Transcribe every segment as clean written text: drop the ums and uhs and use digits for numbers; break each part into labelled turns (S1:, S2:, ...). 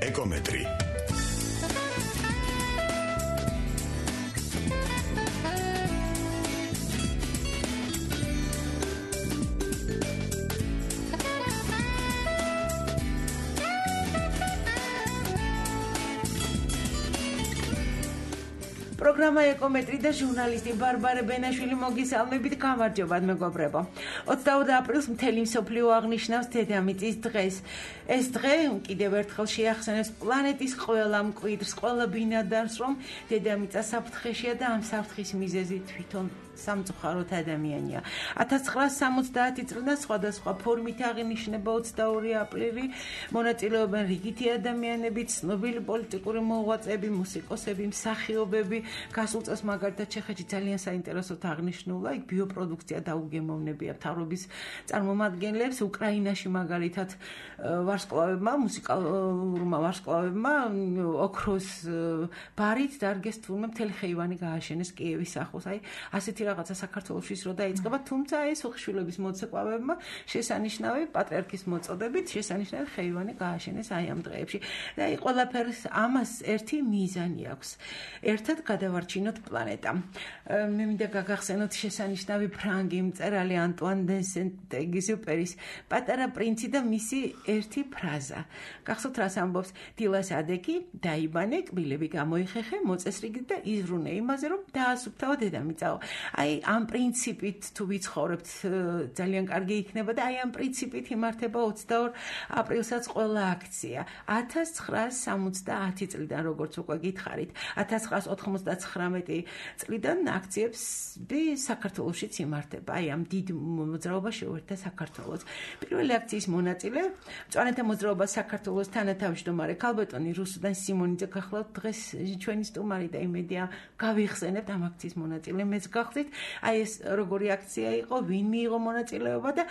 S1: ეკომეტრი
S2: პროგრამა ეკომეტრი და ჟურნალისტი ბარბარე ბენაშვილი მოგისალმებით, გამარჯობათ მეგობრებო. 22 აპრილს მთელი მსოფლიო აღნიშნავს დედამიწის დღეს. ეს დღე კიდევ ერთხელ შეახსენებს პლანეტის ყველა მკვიდრს, ყველა ბინადარს, რომ დედამიწა საფრთხეშია და ამ საფრთხის მიზეზი თვითონ სამწუხაროდ ადამიანია. 1970 წლიდან სხვადასხვა ფორმით აღინიშნება 22 აპრილი. მონაწილეობენ რიგითი ადამიანები, ცნობილი პოლიტიკური მოღვაწეები, მუსიკოსები, მსახიობები. გასულ წელს მაგალითად ჩეხეთში ძალიან საინტერესოდ აღნიშნულა, იქ ბიოპროდუქცია დაუგემოვნებია მთავრობის წარმომადგენლებს. უკრაინაში მაგალითად ვარსკვლავებმა, მუსიკალურმა ვარსკვლავებმა ოქროს ბარით დარგეს თურმე მთელი ხეივანი გააშენეს კიევის ახლოს. აი ასეთი რაღაცა საქართველოში რო დაიწყება, თუმცა ეს უხშვილების მოცეკვავებმა შესანიშნავი პატრიარქის მოწოდებით შესანიშნავი ხეივანი გააშენეს აი ამ დღეებში. და აი ყველაფერს ამას ერთი მიზანი აქვს. ერთად გადავარჩინოთ პლანეტა. მე მინდა გაგახსენოთ შესანიშნავი ფრანგი მწერალი ანტუან დე სენტ-ეგზიუპერის პატარა პრინცი და მისი ერთი ფრაზა. გახსოვთ რას ამბობს? დილას ადექი, დაიბანე, კბილები გამოიხეხე, მოწესრიგი და იზრუნე იმაზე, რომ დაასუფთავო დედამიწაო. აი ამ პრინციპით თუ ვიცხოვრებთ, ძალიან კარგი იქნება და აი ამ პრინციპით იმართება 22 აპრილსაც ყველა აქცია. 1970 წლიდან როგორც უკვე გითხარით, 1999 წლიდან აქციები საქართველოშიც იმართება. აი ამ დიდ მოძრაობას შეუერთდა საქართველოს. პირველი აქციის მონაწილე მწვანეთა მოძრაობა საქართველოს თანათავმჯდომარე ქალბატონი რუსუდან სიმონიძე გახლავთ დღეს ჩვენი სტუმარი და იმედია გავიხსენებთ ამ აქციის მონაწილე მეც გახდით. აი ეს როგორი აქცია იყო, ვინ მიიღო მონაწილეობა და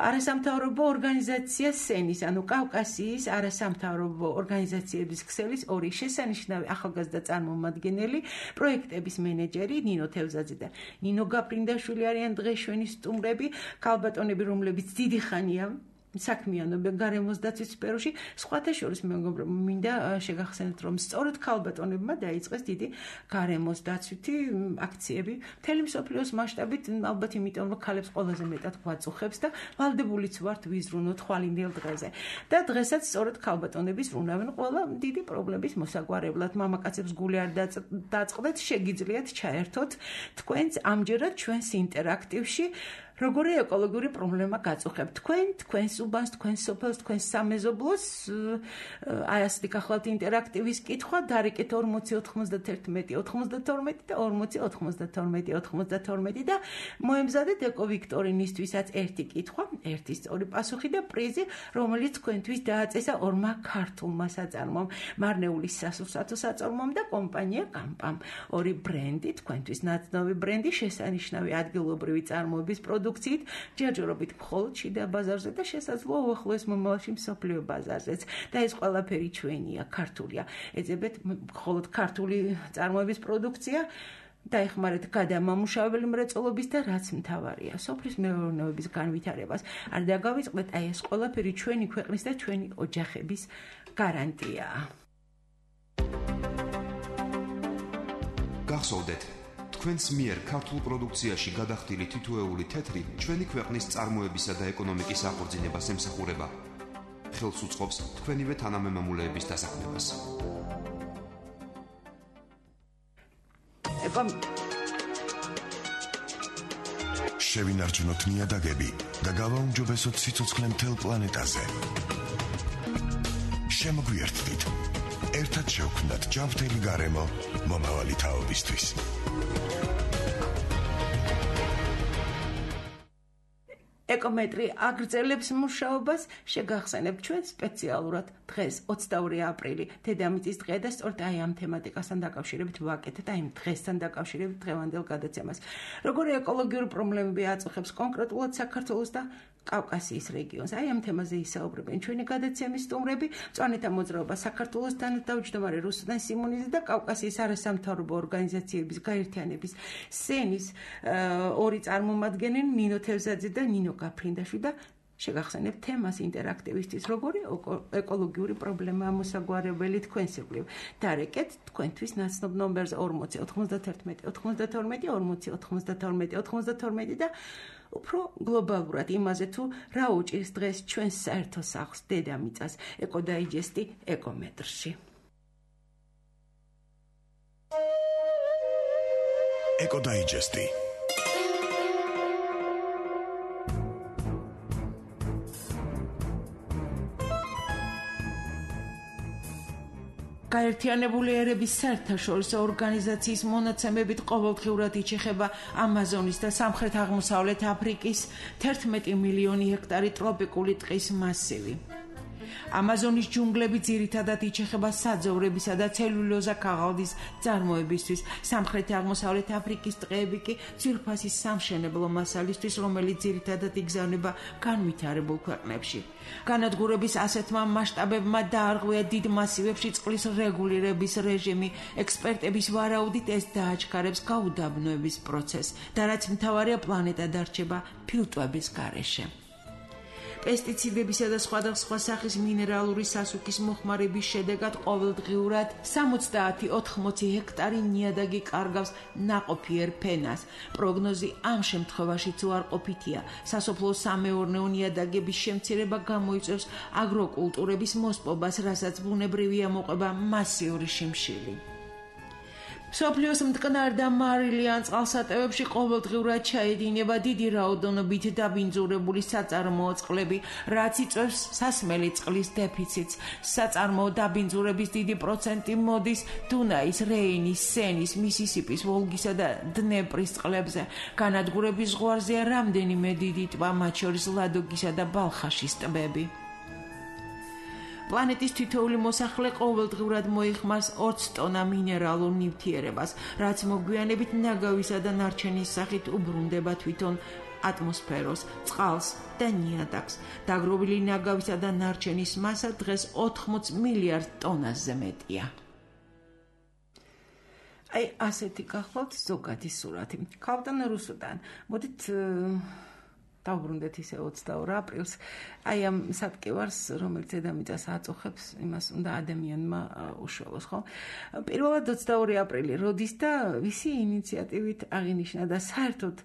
S2: არასამთავრობო ორგანიზაცია სენის, ანუ კავკასიის არასამთავრობო ორგანიზაციების ქსელის ორი შესანიშნავი ახალგაზრდა წარმომადგენელი, პროექტების მენეჯერი ნინო თევზაძე და ნინო გაფრინდაშვილი არიან დღეს ჩვენი სტუმრები, ქალბატონები, რომლებიც დიდი ხანია საქმიანობენ გარემოს დაცვის სფეროში. სხვათა შორის მეგობრებო, მინდა შეგახსენოთ, რომ სწორედ ქალბატონებმა დაიწყეს დიდი გარემოს დაცვითი აქციები მთელი მსოფლიოს მასშტაბით, ალბათ იმიტომ, რომ ქალებს ყველაზე მეტად გვაწუხებს და ვალდებულიც ვართ ვიზრუნოთ ხვალინდელ დღეზე. და დღესაც სწორედ ქალბატონები ზრუნავენ ყველა დიდი პრობლემის მოსაგვარებლად. მამაკაცებს გული არ დაწყდეთ, შეგიძლიათ ჩაერთოთ თქვენც ამჯერად ჩვენს ინტერაქტივში. როგორი ეკოლოგიური პრობლემა გაწუხებთ თქვენ, თქვენს უბანს, თქვენს სოფელს, თქვენს სამეზობლოს? აი ასეთი გახლავთ ინტერაქტივის კითხვა, დარეკეთ 40 91 92 და 40 92 92 და მოემზადეთ ეკოვიქტორინისთვისაც ერთი კითხვა, ერთი სწორი პასუხი და პრიზი, რომელიც თქვენთვის დააწესა ორმა ქართულმა საწარმომ, მარნეულის სასურსათო საწარმომ და კომპანია კამპამ. ორი ბრენდი, თქვენთვის ნაცნობი ბრენდი, შესანიშნავი ადგილობრივი წარმოების პროდუქციით, ჯერჯერობით მხოლოდ შიდა ბაზარზე და შესაძლოა უახლოეს მომავალში მსოფლიო ბაზარზეც. და ეს ყველაფერი ჩვენია, ქართულია. ეძებეთ მხოლოდ ქართული წარმოების პროდუქცია. დაეხმარეთ გადამამუშავებელი მრეწველობის და რაც მთავარია, სოფლის მეურნეობის განვითარებას. არ დაგავიწყდეთ, აი ეს ყველაფერი ჩვენი ქვეყნის და ჩვენი ოჯახების გარანტიაა.
S3: გახსოვდეთ, თქვენს მიერ ქართულ პროდუქციაში გადახდილი თითოეული თეთრი ჩვენი ქვეყნის წარმოებისა და ეკონომიკის აღორძინებას ემსახურება. ხელს უწყობს თქვენივე თანამემამულეების დასაქმებას.
S1: შევინარჩუნოთ ნიადაგები და გავაუმჯობესოთ სიცოცხლე მთელ პლანეტაზე. შემოგვიერთდით. ერთად შევქმნათ ჯანმრთელი გარემო მომავალი თაობისთვის.
S2: ეკომეტრი აგრძელებს მუშაობას, შეგახსენებთ ჩვენ სპეციალურად დღეს 22 აპრილი დედამიწის დღე და სწორედ აი ამ თემატიკასთან დაკავშირებით ვაკეთეთ, აი ამ დღესთან დაკავშირებით დღევანდელ გადაცემას. როგორი ეკოლოგიური პრობლემები აწუხებს კონკრეტულად საქართველოს და კავკასიის რეგიონს. აი ამ თემაზე ისაუბრებენ ჩვენი გადაცემის სტუმრები, მწვანეთა მოძრაობა საქართველოს თანათავმჯდომარე რუსუდან სიმონიძე და კავკასიის არასამთავრობო ორგანიზაციების გაერთიანების სენის ორი წარმომადგენელი ნინო თევზაძე და ნინო გაფრინდაშვილი და შეგახსენებთ თემას ინტერაქტივისტის როგორი ეკოლოგიური პრობლემაა მოსაგვარებელი თქვენს ირგვლივ. დარეკეთ თქვენთვის ნაცნობ ნომერზე 40 91 92 40 92 92 და უფრო გლობალურად იმაზე თუ რა უჭირს დღეს ჩვენს საერთო სახლს დედამიწას ეკოდაიჯესტი ეკომეტრში.
S1: ეკოდაიჯესტი
S2: გაერთიანებული ერების საერთაშორისო ორგანიზაციის მონაცემებით ყოველდღიურად იჩეხება ამაზონის და სამხრეთ-აღმოსავლეთ აფრიკის 11 მილიონი ჰექტარი ტროპიკული ტყის მასივი. ამაზონის ჯუნგლები ძირითადად იჩეხება საძოვრებისა და ცელულოზა ქაღალდის წარმოებისთვის. სამხრეთ-აღმოსავლეთ აფრიკის ტყეები კი ძვირფასი სამშენებლო მასალისთვის, რომელიც ძირითადად იგზავნება განვითარებულ ქვეყნებში. განადგურების ასეთმა მასშტაბებმა დაარღვია დიდ მასივებში წყლის რეგულირების რეჟიმი. ექსპერტების ვარაუდით ეს დააჩქარებს გაუდაბნოების პროცესს და რაც მთავარია პლანეტა დარჩება ფილტვების გარეშე. პესტიციდებისა და სხვადასხვა სახის მინერალური სასუქის მოხმარების შედეგად ყოველდღიურად 70-80 ჰექტარი ნიადაგი კარგავს ნაყოფიერ ფენას. პროგნოზი ამ შემთხვევაშიც უარყოფითია. სასოფლო-სამეურნეო ნიადაგების შემცირება გამოიწვევს აგროკულტურების მოსპობას, რასაც ბუნებრივი ამოყვება მასიური შიმშილი. მსოფლიოს მტკნარ და მარილიან წყალსატევებში ყოველდღიურად ჩაედინება დიდი რაოდენობით დაბინძურებული საწარმოო წყლები, რაც იწვევს სასმელი წყლის დეფიციტს. საწარმოო დაბინძურების დიდი პროცენტი მოდის დუნაის, რეინის, სენის, მისისიპის, ვოლგისა და დნეპრის წყლებზე. განადგურების ზღვარზეა რამდენიმე დიდი ტბა, მათ შორის ლადოგისა და ბალხაშის ტბები. პლანეტის თითოეული მოსახლე ყოველდღურად მოიხმარს 20 ტონა მინერალურ ნივთიერებას, რაც მოგვიანებით ნაგავისა და ნარჩენის სახით უბრუნდება თვითონ ატმოსფეროს, წყალს და ნიადაგს. დაგროვილი ნაგავისა და ნარჩენის მასა დღეს 80 მილიარდ ტონაზე მეტია. აი, ასეთი გახლავთ ზოგადი სურათი. ქავტან რუსუდან. მოდით დავბრუნდეთ ისე 22 აპრილს. აი ამ სატკივარს, რომელიც დედამიწას აწუხებს, იმას უნდა ადამიანმა უშველოს, ხო? პირველად 22 აპრილი როდის და ვისი ინიციატივით აღინიშნა და საერთოდ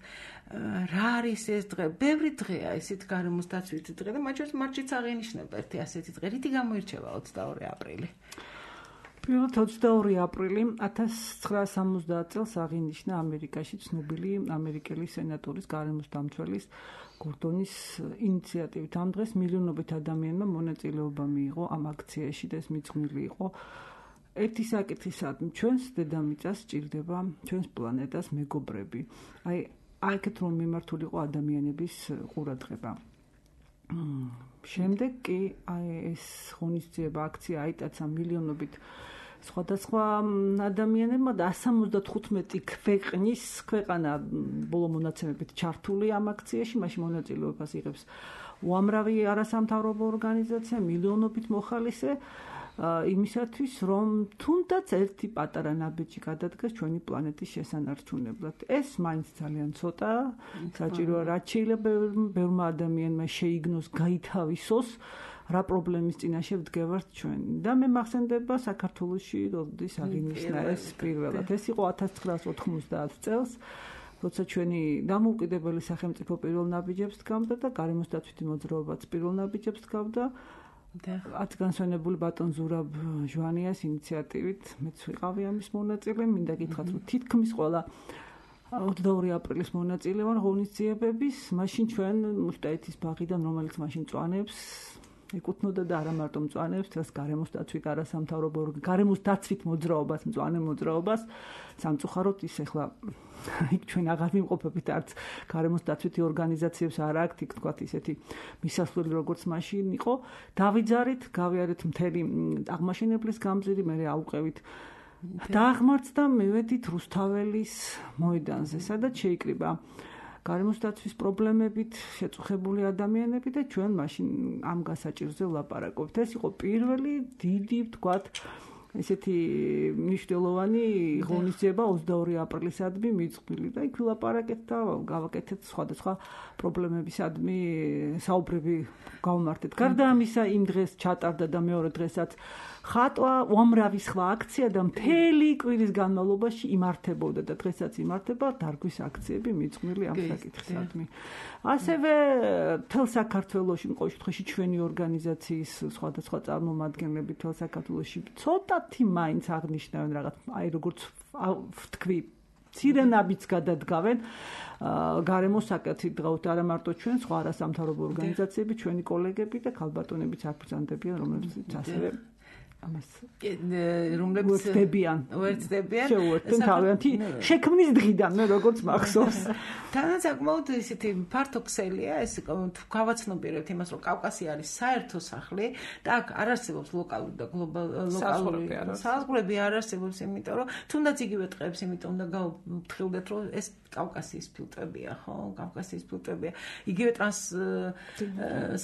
S2: რა არის ეს დღე? ბევრი დღეა ესეთ გარემოს დაცვით დღე და მათ შორის მარტიც აღინიშნება ერთი ასეთი დღე. რითი გამოირჩევა 22 აპრილი?
S4: პირველად 22 აპრილი 1970 წელს აღინიშნა ამერიკაში ცნობილი ამერიკელი სენატორის გარემოს დამცველის გორდონის ინიციატივით. ამ დღეს მილიონობით ადამიანმა მონაწილეობა მიიღო ამ აქციაში და ეს მიძღვნილი იყო ერთი საკითხისადმი, ჩვენს დედამიწას სჭირდება, ჩვენს პლანეტას მეგობრები. აი აქეთ რომ მიმართული იყო ადამიანების ყურადღება. შემდეგ კი აი ეს ღონისძიება აქცია აიტაცა მილიონობით სხვადასხვა ადამიანებმა და 175 ქვეყანა ბოლო მონაცემებით ჩართული ამ აქციაში, მაშინ მონაწილეობას იღებს უამრავი არასამთავრობო ორგანიზაცია, მილიონობით მოხალისე იმისათვის, რომ თუნდაც ერთი პატარა ნაბიჯი გადადგეს ჩვენი პლანეტის შესანარჩუნებლად. ეს მაინც ძალიან ცოტაა, საჭიროა რაც შეიძლება ბევრმა ადამიანმა შეიგნოს, გაითავისოს, რა პრობლემის წინაშე ვდგევართ ჩვენ. და მე მახსენდება საქართველოში როდის აღინიშნა ეს პირველად. ეს იყო 1990 წელს, როცა ჩვენი დამოუკიდებელი სახელმწიფო პირველ ნაბიჯებს დგამდა და გარემოს დაცვითი მოძრაობაც პირველ ნაბიჯებს დგამდა. განსვენებული ბატონ ზურაბ ჟვანიას ინიციატივით მეც ვიყავი ამის მონაწილე. მინდა გითხრათ, რომ თითქმის ყველა 22 აპრილის მონაწილე ვარ ღონისძიებების. მაშინ ჩვენ მუშტაეთის ბაღიდან, რომელიც მაშინ წვანებს, ეკუთვნოდა და არა მარტო მწვანეებს, დღეს გარემოს დაცვით არასამთავრობო გარემოს დაცვით მოძრაობას, მწვანე მოძრაობას სამწუხაროდ ის ახლა იქ ჩვენ აღარ ვიმყოფებით არც გარემოს დაცვითი ორგანიზაციებს არ აქვთ, იქ თქვათ ისეთი მისასვლელი როგორც მაშინ იყო. დავიძარით, გავიარეთ მთელი აღმაშენებლის გამზირი, მე აუყევით დააღმართდა, მივედით რუსთაველის მოედანზე, სადაც შეიკრიბა გარემოს დაცვის პრობლემებით შეწუხებული ადამიანები და ჩვენ მაშინ ამ გასაჭირზე ვლაპარაკობთ. ეს იყო პირველი დიდი, ვთქვათ, ესეთი მნიშვნელოვანი ღონისძიება 22 აპრილისადმი მიწყვლილი და იქ ვილაპარაკეთ და გავაკეთეთ სხვადასხვა პრობლემებისადმი საუბრები გავმართეთ. გარდა ამისა, იმ დღეს ჩატარდა და მეორე დღესაც ხატვა, უამრავი სხვა აქცია და მთელი კვირის განმავლობაში იმართებოდა და დღესაც იმართება დარგვის აქციები მიწყვლილი ამ საკითხისადმი. ასევე მთელ საქართველოში, ყოველ შემთხვევაში ჩვენი ორგანიზაციის სხვადასხვა წარმომადგენლები მთელ საქართველოში ცოტათი მაინც აღნიშნავენ რაღაც, აი როგორც ვთქვი, ცირენაბიც გადადგავენ გარემოს საკითხით დღავთ არა მარტო ჩვენ, სხვა არასამთავრობო ორგანიზაციები, ჩვენი კოლეგები და ქალბატონებიც აქ რომლებიც ასევე ამას
S2: რომლებიც
S4: ვერცდებიან შეუერთდნენ თავიანთი შექმნის დღიდან მე როგორც მახსოვს
S2: თანაც საკმაოდ ისეთი ფართო ქსელია ეს გავაცნობიერებთ იმას რომ კავკასია არის საერთო სახლი და აქ არ არსებობს ლოკალური და გლობალური საზღვრები არ არსებობს იმიტომ რომ თუნდაც იგივე ტყეებს იმიტომ უნდა გავფრთხილდეთ რომ ეს კავკასიის ფილტრებია ხო კავკასიის ფილტრებია იგივე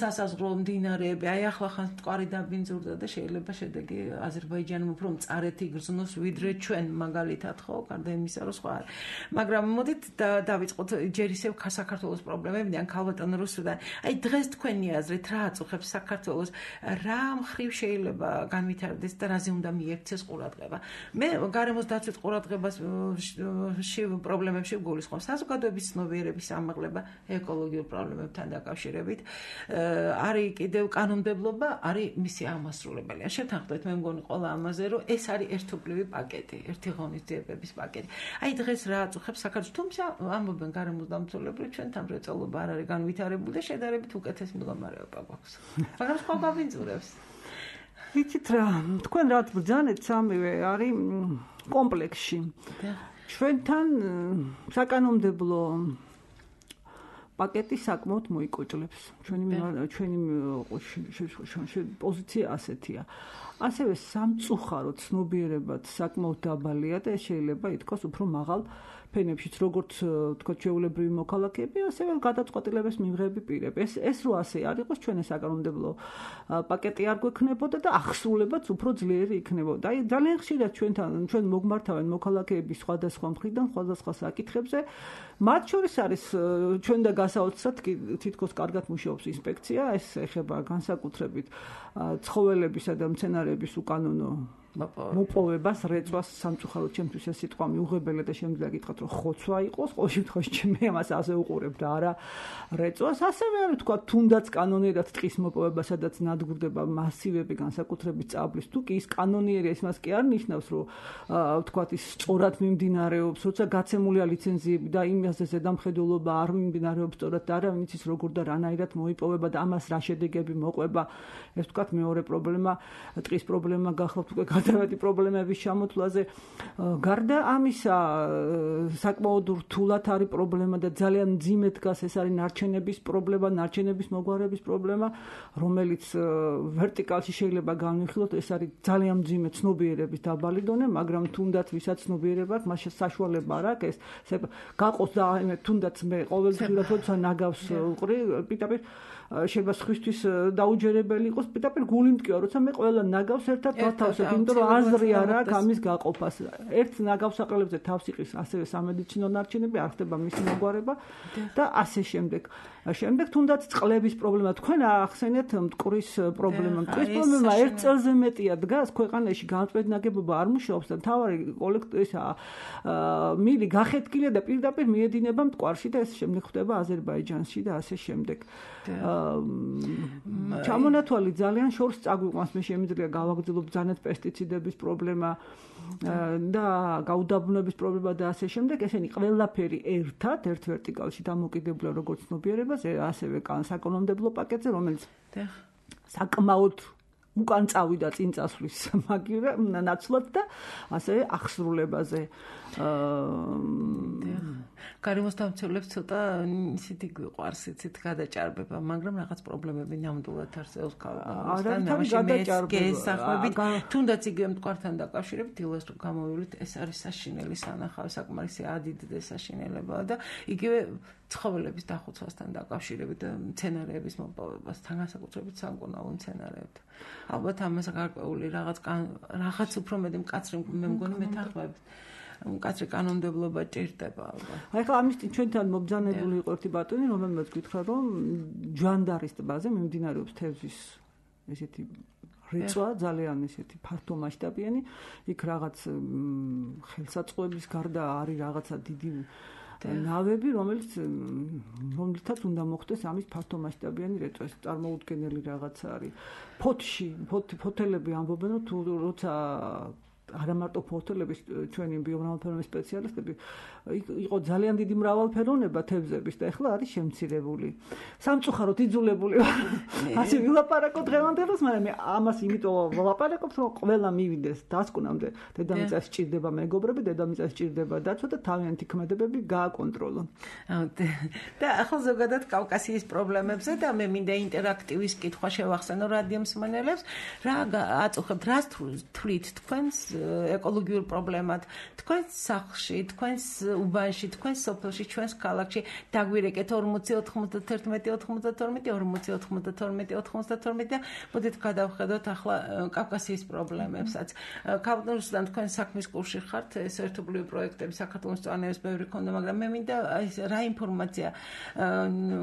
S2: სასაზღვრო მდინარეები აი ახლა ხან მტკვარი დაბინძურდა და შეიძლება შედეგი აზერბაიჯანმა უფრო მწარეთი გრძნოს ვიდრე ჩვენ მაგალითად ხო გარდა იმისა რომ სხვა არის მაგრამ მოდით დავიწყოთ ჯერ ისევ საქართველოს პრობლემებიდან ქალბატონ რუსუდან აი დღეს თქვენი აზრით რა აწუხებს საქართველოს რა მხრივ შეიძლება განვითარდეს და რაზე უნდა მიექცეს ყურადღება მე გარემოს დაცვით ყურადღებას პრობლემებში გულისხმობ საზოგადოების ცნობიერების ამაღლება ეკოლოგიურ პრობლემებთან დაკავშირებით არის კიდევ კანონმდებლობა არის მისი აღმასრულებელი შეთანხმდით მე მგონი ყველა ამაზე რომ ეს არის ერთობლივი პაკეტი ერთი ღონისძიებების პაკეტი აი დღეს რა აწუხებს საქართველოს თუმცა ამბობენ გარემოს დამცველები ჩვენთან მრეწველობა არ არის განვითარებული და შედარებით უკეთეს მდგომარეობა გვაქვს მაგრამ სხვა გავინძურებს
S4: ვიცით რა თქვენ რაც ბრძანეთ სამივე არის კომპლექსში ჩვენთან საკანონმდებლო პაკეტი საკმაოდ მოიკოჭლებს ჩვენი პოზიცია ასეთია ასევე სამწუხაროდ ცნობიერებად საკმაოდ დაბალია და შეიძლება ითქვას უფრო მაღალ ფენებშიც როგორც თქვა ჩვეულებრივი მოქალაქეები ასევე გადაწყვეტილების მიღები პირები ეს რო ასე არ იყოს ჩვენი საკანონმდებლო პაკეტი არ გვექნებოდა და აღსრულებაც უფრო ძლიერი იქნებოდა აი ძალიან ხშირად ჩვენ მოგმართავენ მოქალაქეები სხვადასხვა მხრიდან სხვადასხვა საკითხებზე მათ შორის არის ჩვენ და გასაოცრად თითქოს კარგად მუშაობს ინსპექცია ეს ეხება განსაკუთრებით ცხოველებისა და მცენარეების უკანონო მოპოვებას რეწვას სამწუხაროდ ჩემთვის ეს სიტყვა მიუღებელია და შემიძლია გითხრათ რომ ხოცვა იყოს ყოველ შემთხვევაში ჩემი ამას ასე უყურებ და არა რეწვას ასევე არის თქვა თუნდაც კანონიერად ტყის მოპოვება სადაც ნადგურდება მასივები განსაკუთრებით წაბლის თუ კი ის კანონიერია ის მას კი არ ნიშნავს რომ თქვა ის სწორად მიმდინარეობს როცა გაცემულია ლიცენზიები და იმაზე ზედამხედველობა არ მიმდინარეობს სწორად და არავინ იცის როგორ და რანაირად მოიპოვება და ამას რა შედეგები მოყვება ეს თქვა მეორე პრობლემა ტყის პრობლემა გახლავთ უკვე გადავედი პრობლემების ჩამოთვლაზე გარდა ამისა საკმაოდ რთულად არის პრობლემა და ძალიან მძიმედ დგას ეს არის ნარჩენების პრობლემა ნარჩენების მოგვარების პრობლემა რომელიც ვერტიკალში შეიძლება განვიხილოთ ეს არის ძალიან მძიმე ცნობიერების დაბალი დონე მაგრამ თუნდაც ვისაც ცნობიერება აქვს მას საშუალება არ აქვს ეს გაყოს და თუნდაც მე ყოველდღიურად როცა ნაგავს ვყრი პირდაპირ შეიძლება სხვისთვის დაუჯერებელი იყოს პირდაპირ გული მტკივა როცა მე ყველა ნაგავს ერთად დავთავსებ იმიტომ რომ აზრი არ აქვს ამის გაყოფას ერთ ნაგავსაყრელებზე თავს იყრის ასევე სამედიცინო ნარჩენები არ ხდება მისი მოგვარება და ასე შემდეგ თუნდაც წყლების პრობლემა თქვენ ახსენეთ მტკვრის პრობლემა მტკვრის პრობლემა ერთ წელზე მეტია დგას ქვეყანაში განწყვეტ ნაგებობა არ მუშაობს და თავარი კოლექტივისა მილი გახეთკილია და პირდაპირ მიედინება მტკვარში და ეს შემდეგ ხდება აზერბაიჯანში და ასე შემდეგ ჩამონათვალი ძალიან შორს წაგვიყვანს მე შემიძლია გავაგრძელო ბრძანეთ პესტიციდების პრობლემა და გაუდაბნოების პრობლემა და ასე შემდეგ ესენი ყველაფერი ერთ ვერტიკალში დამოკიდებულია როგორც ცნობიერებაზე ასევე საკანონმდებლო პაკეტზე რომელიც საკმაოდ უკან წავიდა წინ წასვლის მაგივრა ნაცვლად და ასევე აღსრულებაზე
S2: გარემოს დამცველებს ცოტა ისეთი გვიყვარს იცით გადაჭარბება მაგრამ რაღაც პრობლემები ნამდვილად არსებობს გესახმებით თუნდაც იგივე მტკვართან დაკავშირებით დილას თუ გამოვივლით ეს არის საშინელი სანახავი საკმარისი ადიდე საშინელებაა და იგივე ცხოველების დახუცვასთან დაკავშირებით და მცენარეების მოპოვებასთან, განსაკუთრებით სამკურნალო მცენარეებთან. ალბათ ამას გარკვეული რაღაც უფრო მეტი მკაცრი მე მგონი მეთანხმებით. მკაცრი კანონმდებლობა ჭირდება ალბათ.
S4: აი ხა ამის ჩვენთან მობძანებული იყო ერთი ბატონი, რომელმაც გითხრა, რომ ჯვანდარის ტბაზე მიმდინარეობს თევზის ესეთი რიწვა, ძალიან ესეთი ფართო მასშტაბიანი, იქ რაღაც ხელსაწყოების გარდა არის რაღაცა დიდი ნავები, რომელთაც უნდა მოხდეს ამის ფართო მასშტაბიანი რეწვა. ეს წარმოუდგენელი რაღაცა არის. ფოთელები ამბობენ, რომ თუ როცა არა მარტო ფოთელების ჩვენი ბიომრავალფეროვნების სპეციალისტები იყო ძალიან დიდი მრავალფეროვნება თევზების და ეხლა არის შემცირებული. სამწუხაროდ იძულებული ვარ. ასე ვილაპარაკო დღევანდელს, მაგრამ მე ამას იმიტომ ვლაპარაკობ, რომ ყველა მივიდეს დასკვნამდე. დედამიწას სჭირდება მეგობრები, დედამიწას სჭირდება დაცვა და თავიანთი ქმედებები გააკონტროლონ.
S2: და ახლა ზოგადად კავკასიის პრობლემებზე და მე მინდა ინტერაქტივის კითხვა შევახსენო რადიომსმენელებს, რა აწუხებთ, რას თვლით თქვენს ეკოლოგიურ პრობლემად, თქვენს სახლში, თქვენს უბანში, თქვენს სოფელში, ჩვენს ქალაქში დაგვირეკეთ 40 91 92 40 92 92 და მოდით გადავხედოთ ახლა კავკასიის პრობლემებსაც. კავკასიიდან თქვენ საქმის კურსში ხართ, ეს ერთობლივი პროექტები საქართველოს წვანების ბევრი ქონდა, მაგრამ მე მინდა რა ინფორმაცია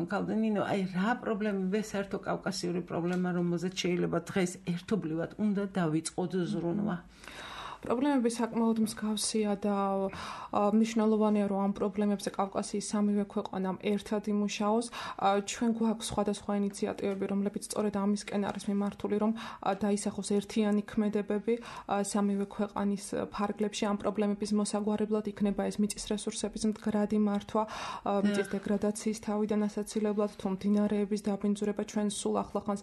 S2: კალდენინო, რა პრობლემები საერთო კავკასიური პრობლემა, რომელზეც შეიძლება დღეს ერთობლივად უნდა დავიწყოთ ზრუნვა.
S5: პრობლემები საკმაოდ მსგავსია და მნიშვნელოვანია, რომ ამ პრობლემებზე კავკასიის სამივე ქვეყანამ ერთად იმუშაოს. ჩვენ გვაქვს სხვადასხვა ინიციატივები, რომლებიც სწორედ ამისკენ არის მიმართული, რომ დაისახოს ერთიანი ქმედებები სამივე ქვეყანის ფარგლებში ამ პრობლემების მოსაგვარებლად, იქნება ეს მიწის რესურსების მდგრადი მართვა, მიწის დეგრადაციის თავიდან ასაცილებლად, თუ მდინარეების დაბინძურება. ჩვენ სულ ახლახანს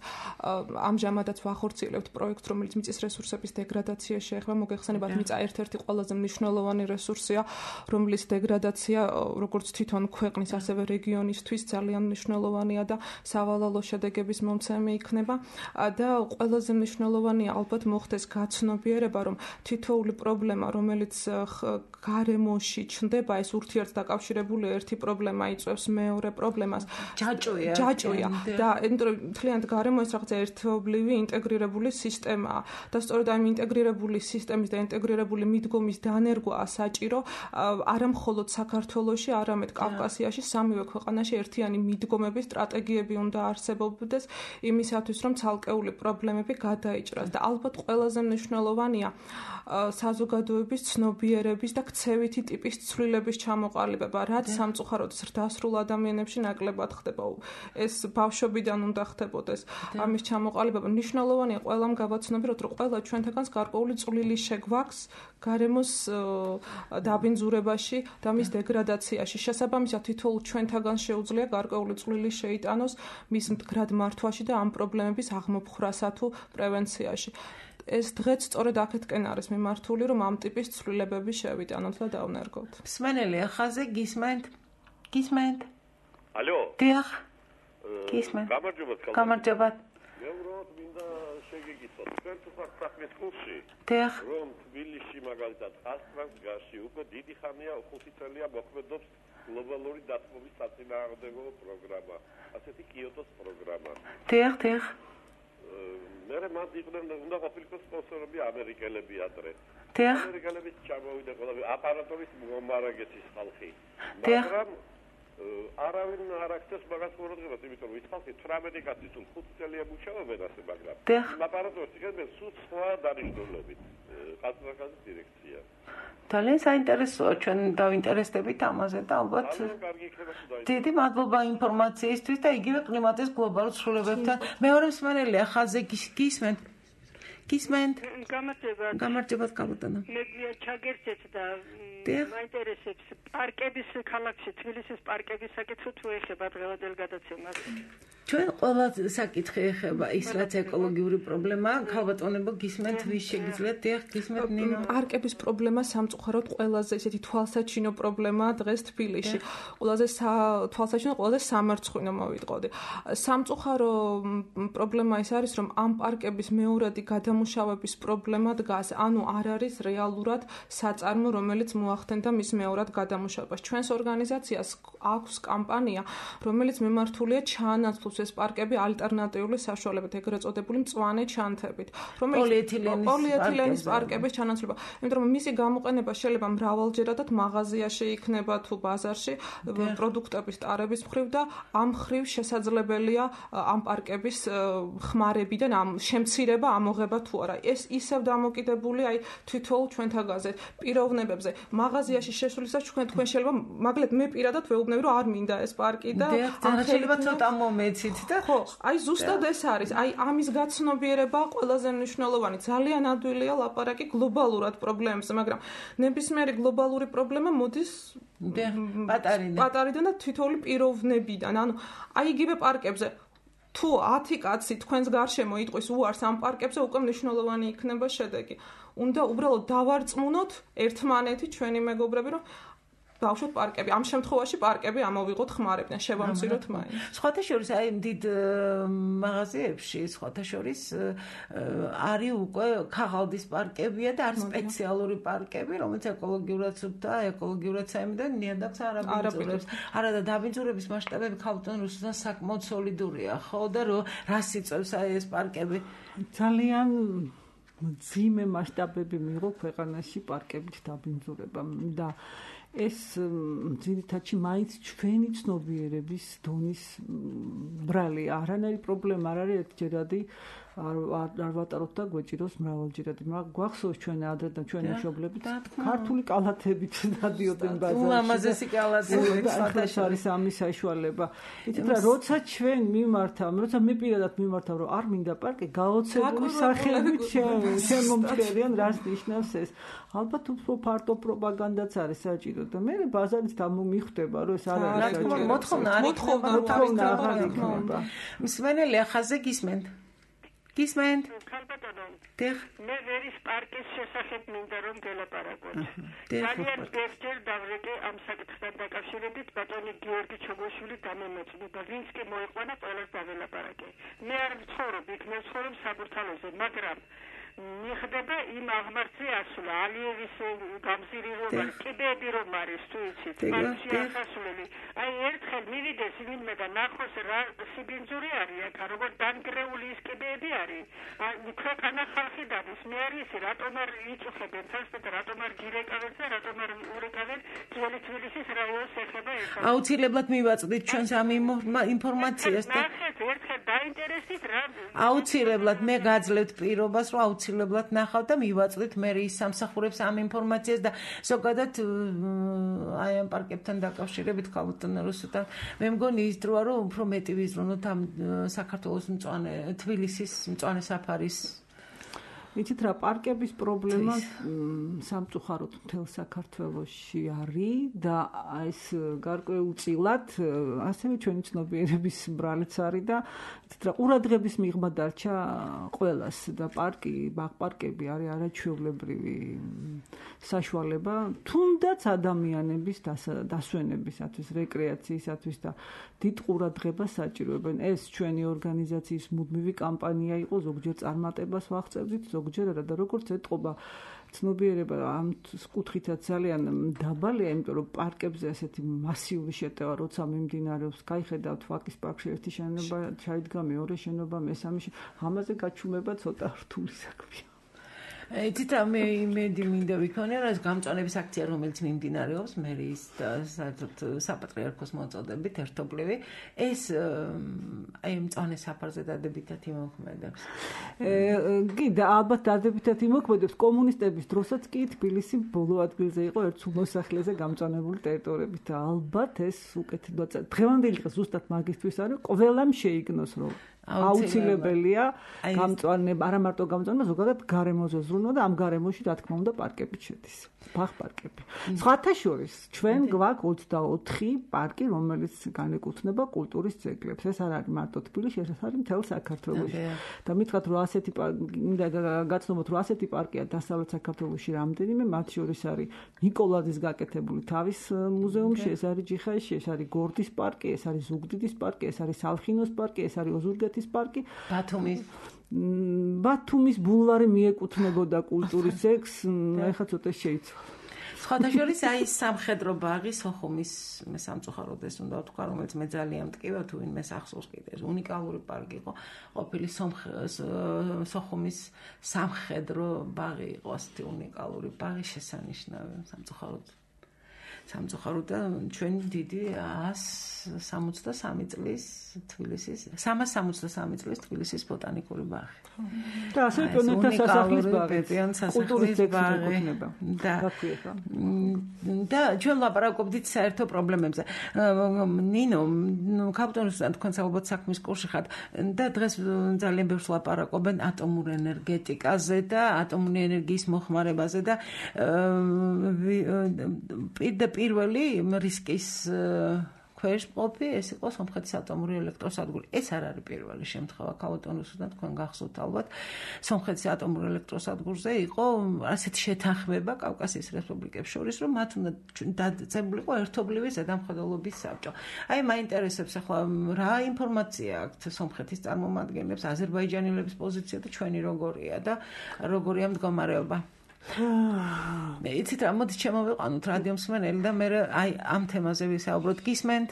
S5: ამჟამადაც ვახორციელებთ პროექტს, რომელიც მიწის რესურსების დეგრადაციაში შეეხება. მოგეხსენებათ, მიწა ერთ-ერთი ყველაზე მნიშვნელოვანი რესურსია, რომლის დეგრადაცია როგორც თვითონ ქვეყნის, ასევე რეგიონისთვის ძალიან მნიშვნელოვანია და სავალალო შედეგების მომცემი იქნება. და ყველაზე მნიშვნელოვანია ალბათ მოხდეს გაცნობიერება, რომ თითოეული პრობლემა, რომელიც გარემოში ჩნდება, ეს ურთიერთდაკავშირებული ერთი პრობლემა იწვევს მეორე პრობლემას. ჯაჭვია და მთლიანად გარემო ეს რაღაცა ერთობლივი ინტეგრირებული სისტემაა და სწორედ ამ ინტეგრირებული სისტემის და ინტეგრირებული მიდგომის დანერგვაა საჭირო არა მხოლოდ საქართველოში, არამედ კავკასიაში, სამივე ქვეყანაში ერთიანი მიდგომების სტრატეგიები უნდა არსებობდეს იმისათვის, რომ ცალკეული პრობლემები გადაიჭრას და ალბათ ყველაზე მნიშვნელოვანია საზოგადოების ცნობიერების და ქცევითი ტიპის ცვლილების ჩამოყალიბება, რაც სამწუხაროდ ზრდასრულ ადამიანებში ნაკლებად ხდება. ეს ბავშვობიდან უნდა ხდებოდეს ამის ჩამოყალიბება. მნიშვნელოვანია ყველამ გავაცნობიეროთ, რომ ყველა ჩვენთაგანს გარკვეული წვლილი შეგვაქვს გარემოს დაბინძურებაში და მის დეგრადაციაში. შესაბამისად, თითოეულ ჩვენთაგან შეუძლია გარკვეული წვლილი შეიტანოს მის მდგრად მართვაში და ამ პრობლემების აღმოფხრასა თუ პრევენციაში. ეს დღეც სწორედ აქეთკენ არის მიმართული, რომ ამ ტიპის ცვლილებები შევიტანოთ და დავნერგოთ.
S2: მსმენელი ახაზე გისმენთ?
S6: ალო?
S2: დიახ. გისმენთ. გამარჯობა.
S6: მე ვუყურებ მინდა შეგეკითხოთ. თქვენ თუ ხართ საქმის კურსში?
S2: დიახ.
S6: რომ თბილისში მაგალითად ასტრანგაში უკვე დიდი ხანია 5 წელია მოქმედობს გლობალური დათბობის საწინააღმდეგო პროგრამა, ასეთი კიოტოს პროგრამა.
S2: დიახ.
S6: მე მათ იყვნენ უნდა ყოფილიყო სპონსორები ამერიკელები ადრე. ამერიკელები ჩამოვიდა ყველა აპარატურის მომარაგეთის ხალხი. მაგრამ არავინ არ აქცევს მაგას ყურადღებას, იმიტომ რომ ის ხალხი 18 კაცი თუ 5 წელია მუშაობენ ასე, მაგრამ იმ აპარატურს იღებენ სულ სხვა დანიშნულებით. ყაზახეთის დირექცია.
S2: ძალიან საინტერესოა, ჩვენ დავინტერესდებით ამაზე და ალბათ დიდი მადლობა ინფორმაციისთვის და იგივე კლიმატის გლობალურ ცვლილებებთან. მეორე მსმენელი ახალზე გისმენთ? გამარჯობა კალუტანა.
S7: მე ჩაგერცეთ და მაინტერესებს პარკების ქალაქში, თბილისის პარკების საკითხი თუ ეხება დღევანდელ გადაცემას.
S2: ჩვენ ყველა საკითხი ეხება ის რაც ეკოლოგიური პრობლემაა, ქალბატონებო გისმენთ ვის შეგიძლიათ დიახ გისმენთ ნინო.
S5: პარკების პრობლემა სამწუხაროდ ყველაზე ისეთი თვალსაჩინო პრობლემაა დღეს თბილისში. ყველაზე თვალსაჩინო, ყველაზე სამარცხვინო მოვიტყოდი. სამწუხარო პრობლემა ის არის, რომ ამ პარკების მეორადი გადამუშავების პრობლემა დგას, ანუ არ არის რეალურად საწარმო, რომელიც მოახდენდა მის მეორად გადამუშავებას. ჩვენს ორგანიზაციას აქვს კამპანია, რომელიც მიმართულია ჩაანაცვლოს ეს პარკები ალტერნატიული საშუალებით, ეგრეთ წოდებული მწვანე ჩანთებით, პოლიეთილენის პარკების ჩანაცვლება. იმიტომ რომ მისი გამოყენება შეიძლება მრავალჯერადად მაღაზიაში იქნება თუ ბაზარში პროდუქტების ტარების მხრივ და ამ მხრივ შესაძლებელია ამ პარკების ხმარებიდან ამ შემცირება ამოღება თუ არა. ეს ისევ დამოკიდებული აი თვითონ ჩვენთაგაზე პიროვნებებზე. მაღაზიაში შესვლისას თქვენ შეიძლება მაგალითად მე პირადად ვეუბნები რომ არ მინდა ეს პარკი და
S2: შეიძლება ცოტა მომეცით და
S5: ხო, აი ზუსტად ეს არის. აი ამის გაცნობიერება ყველაზე მნიშვნელოვანი. ძალიან ადვილია ლაპარაკი გლობალურად პრობლემებზე, მაგრამ ნებისმიერი გლობალური პრობლემა მოდის პატარიდან და თითოეული პიროვნებიდან. ანუ აი იგივე პარკებზე თუ 10 კაცი თქვენს გარშემო იტყვის უარს ამ პარკებზე, უკვე მნიშვნელოვანი იქნება შედეგი. უნდა უბრალოდ დავარწმუნოთ ერთმანეთი ჩვენი მეგობრები, რომ ბავშვოთ პარკები. ამ შემთხვევაში პარკები ამოვიღოთ ხმარებიდან, შევამციროთ მაინც.
S2: სხვათა შორის აი დიდ მაღაზიებში, სხვათა შორის არის უკვე ქაღალდის პარკებია და არის სპეციალური პარკები, რომელიც ეკოლოგიურად და ეკოლოგიურად საიმედან ნიადაგს არ აბინძურებს. არა და დაბინძურების მასშტაბები ქალბატონ რუსეთთან საკმაოდ სოლიდურია, ხო და რას იწევს აი ეს პარკები?
S4: ძალიან ძიმე მასშტაბები მიიღო ქვეყანაში პარკებით დაბინძურება და ეს ძირითადში მაინც ჩვენი ცნობიერების დონის ბრალი არანაირი პრობლემა არ არის ერთჯერადი არ ვატაროთ და გვეჭიროს მრავალჯერადი. მაგრამ გვახსოვს ჩვენ ადრე და ჩვენი მშობლებით ქართული კალათებით დადიოდნენ ბაზარში.
S2: ულამაზესი კალათები
S4: ეს არის ამის საშუალება. იცით რა, როცა ჩვენ მიმართავ, როცა მე პირადად მიმართავ, რომ არ მინდა პარკი, გაოცებული სახელით შემომჭერიან, რას ნიშნავს ეს. ალბათ უფრო ფართო პროპაგანდაც არის საჭირო და მე ბაზარით დამომიხვდება, რომ ეს არ არის საჭირო.
S2: მოთხოვნა არ იქნება. მსმენელი ხაზე გისმენთ? გისმენთ?
S7: მე ვერის პარკის შესახებ მინდა რომ გელაპარაკოთ. ძალიან ბევრჯერ დავრეკე ამ საკითხთან დაკავშირებით ბატონი გიორგი ჩოგოშვილი დამემეწნება, ვინც კი მოიყვანა ყველას დაველაპარაკე. მე არ ვცხოვრობ იქ, მე ვცხოვრობ საბურთალოზე, მაგრამ მიხდება იმ აღმართზე ასვლა ალიევის გამზირირება კიბეები რომ არის თუ იცით პარკში ახასვლელი აი ერთხელ მივიდეს ვინმე და ნახოს რა სიბინძური არის აქ როგორ დანგრეული ის კიბეები არის აი ქვეყანა ხალხი დადის მე არ ისი რატომ არ იწუხებენ თავს და რატომ არ გირეკავენ და რატომ არ ურეკავენ ძველი თბილისის რაიონს ეხება ეს
S2: აუცილებლად მივაწვდით ჩვენს ამ ინფორმაციას და
S7: ერთხელ დაინტერესით რა
S2: აუცილებლად მე გაძლევთ პირობას რომ აუცილებლად ნახავ და მივაწვდით მე ის სამსახურებს ამ ინფორმაციას და ზოგადად აი ამ პარკებთან დაკავშირებით ქალბატონ რუსეთთან მე მგონი ის დროა რომ უფრო მეტი ვიზრუნოთ ამ საქართველოს მწვანე თბილისის მწვანე საფარის
S4: იცით რა პარკების პრობლემა სამწუხაროდ მთელ საქართველოში არის და ეს გარკვეულწილად ასევე ჩვენი ცნობიერების ბრალიც არის და იცით რა ყურადღების მიღმა დარჩა ყველას და ბაღ-პარკები არის არაჩვეულებრივი საშუალება თუნდაც ადამიანების დასვენებისათვის, რეკრეაციისათვის და დიდ ყურადღებას საჭიროებენ. ეს ჩვენი ორგანიზაციის მუდმივი კამპანია იყო, ზოგჯერ წარმატებას ვაღწევდით, ზოგჯერ არა და როგორც ეთყობა ცნობიერება ამ კუთხითაც ძალიან დაბალია, იმიტომ რომ პარკებზე ასეთი მასიური შეტევა როცა მიმდინარეობს, გაიხედავთ ვაკის პარკში ერთი შენობა ჩაიდგა, მეორე შენობა, მესამე ამაზე გაჩუმება ცოტა რთული საქმეა.
S2: იცით რა მე იმედი მინდა ვიქონია რა გამწვანების აქცია რომელიც მიმდინარეობს მერის და საპატრიარქოს მოწოდებით ერთობლივი ეს აი მწვანე საფარზე დადებითად იმოქმედებს
S4: კიდე ალბათ დადებითად იმოქმედებს კომუნისტების დროსაც კი თბილისი ბოლო ადგილზე იყო ერთ მოსახლეზე გამწვანებული ტერიტორიებით და ალბათ ეს უკეთ დღევანდელი დღე ზუსტად მაგისთვის არის ყველამ შეიგნოს რომ აუცილებელია გამწვანება, არა მარტო გამწვანება, ზოგადად გარემოზე ზრუნვა და ამ გარემოში რა თქმა უნდა პარკები შედის. ბაღ-პარკები. სხვათა შორის ჩვენ გვაქვს 24 პარკი, რომელიც განეკუთვნება კულტურის ძეგლებს. ეს არ არის მარტო თბილისში, ეს არის მთელ საქართველოში. და მითხრათ, რომ ასეთი გაცნობოთ, რომ ასეთი პარკია დასავლეთ საქართველოში რამდენიმე, მათ შორის არის ნიკოლაძის გაკეთებული თავის მუზეუმში, ეს არის ჯიხაისში, ეს არის გორდის პარკი, ეს არის ზუგდიდის პარკი, ეს არის სალხინოს პარკი, ეს არის ოზურგეთის პარკი, ბათუმის ბულვარი მიეკუთვნებოდა კულტურის ძეგლს, ეხლა ცოტა შეიცვალა.
S2: სხვათა შორის აი სამხედრო ბაღი სოხუმის მე სამწუხაროდ ეს უნდა ვთქვა, რომელიც მე ძალიან მტკივა თუ ვინმეს ახსოვს კიდე ეს უნიკალური პარკი იყო, ყოფილი სოხუმის სამხედრო ბაღი იყო, ასეთი უნიკალური ბაღი შესანიშნავი სამწუხაროდ და ჩვენ დიდი 163 წლის თბილისის 363 წლის თბილისის ბოტანიკური ბაღი.
S4: და ასე პიონერთა სასახლის ბაღი,
S2: კულტურის ბაღი და ჩვენ ლაპარაკობდით საერთო პრობლემებზე. ნინო, კაპიტონისთან თქვენს ალბათ საქმის კურსში ხართ და დღეს ძალიან ბევრს ლაპარაკობენ ატომურ ენერგეტიკაზე და ატომური ენერგიის მოხმარებაზე და პირველი რისკის ქვეშ ყოფი ეს იყო სომხეთის ატომური ელექტროსადგური. ეს არ არის პირველი შემთხვევა კავატონუსთან თქვენ გახსოვთ ალბათ. სომხეთის ატომურ ელექტროსადგურზე იყო ასეთი შეთანხმება კავკასიის რესპუბლიკებს შორის, რომ მათ უნდა დაწესებულიყო ერთობლივი ზედამხედველობის საბჭო. აი მაინტერესებს ახლა რა ინფორმაცია აქვთ სომხეთის წარმომადგენლებს, აზერბაიჯანელების პოზიცია და ჩვენი როგორია და როგორია მდგომარეობა. იცით რა, მოდით შემოვიყვანოთ რადიო მსმენელი და მე აი ამ თემაზე ვისაუბროთ. გისმენთ?